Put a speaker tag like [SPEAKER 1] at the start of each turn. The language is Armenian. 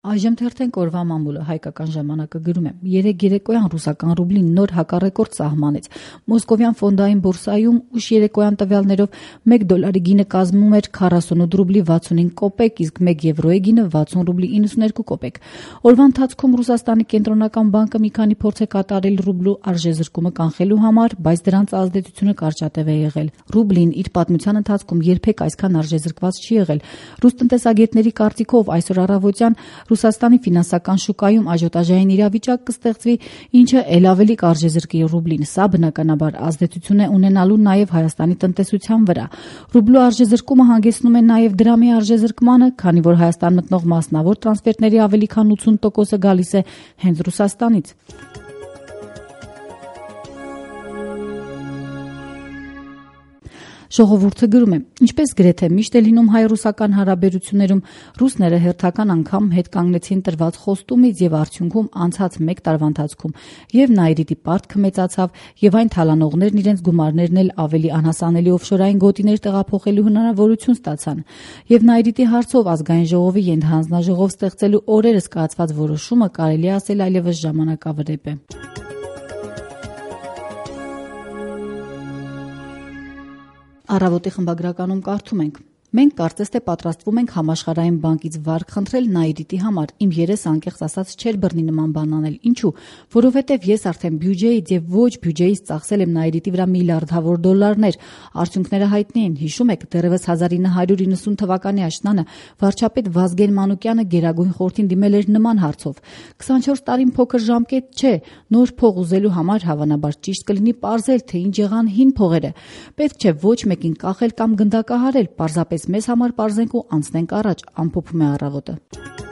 [SPEAKER 1] Այժմ թերթենք օրվա մամուլը հայկական ժամանակը գրում է. երեկ երեկոյան ռուսական ռուբլին նոր հակառեկորդ սահմանեց։ Մոսկովյան ֆոնդային բորսայում ուշ երեկոյան տվյալներով $1 գինը կազմում էր 48 ռուբլի 65 կոպեկ, իսկ 1 եվրոյի գինը 60 ռուբլի 92 կոպեկ։ Օրվա ընթացքում Ռուսաստանի կենտրոնական բանկը մի քանի փորձ է կատարել ռուբլու արժեզրկումը կանխելու համար, բայց դրանց ազդեցությունը կարճատև է եղել։ Ռուբլին իր պատմության ընթացքում երբեք այսքան արժեզրկված չի եղել։ Ռուս տնտեսագետների կարծիքով այսօր առավոտյան Ռուսաստանի ֆինանսական շուկայում աժիոտաժային իրավիճակ կստեղծվի, ինչը ել ավելի կարժեզրկի ռուբլին։ Սա բնականաբար ազդեցություն է ունենալու նաև Հայաստանի տնտեսության վրա։ Ռուբլու արժեզրկումը հանգեցնում է նաև դրամի արժեզրկմանը, քանի որ Հայաստան մտնող մասնավոր տրանսֆերտների ավելի քան 80%-ը գալիս է հենց Ռուսաստանից։ Ժողովուրդը գրում է. ինչպես գրեթե միշտ է լինում հայ-ռուսական հարաբերություններում, ռուսները հերթական անգամ հետ կանգնեցին տրված խոստումից եւ արդյունքում անցած 1 տարվա ընթացքում եւ Նաիրիտի պարտքը մեծացավ եւ այն թալանողներն իրենց գումարներն էլ ավելի անհասանելի օֆշորային գոտիներ տեղափոխելու հնարավորություն ստացան։ Եվ Նաիրիտի հարցով ազգային ժողովի ենթահանձնաժողով ստեղծելու օրերս կայացված որոշումը կարելի ասել այլևս ժամանակավրեպ է։ Առավոտի խմբագրականում կարդում ենք. Մենք կարծես թե պատրաստվում ենք համաշխարհային բանկից վարկ խնդրել Նաիրիտի համար։ Իմ երես անկեղծ ասած չէր բռնի նման բան անել։ Ինչու՞։ Որովհետև ես արդեն բյուջեից եւ ոչ բյուջեից ծախսել եմ Նաիրիտի վրա միլիարդավոր դոլարներ։ Արդյունքները հայտնի են։ Հիշում եք, դեռևս 1990 թվականի աշնանը վարչապետ Վազգեն Մանուկյանը Գերագույն խորհրդին դիմել էր նման հարցով։ 24 տարին փոքր ժամկետ չէ։ Նոր փող ուզելու համար հավանաբար ճիշտ կլինի պարզել, թե ինչ եղան հին փողերը։ Պետք չէ ոչ մեկին կախել կամ գնդակահարել, պարզապես մեզ համար պարզենք ու անցնենք առաջ, ամփոփում է Առավոտը։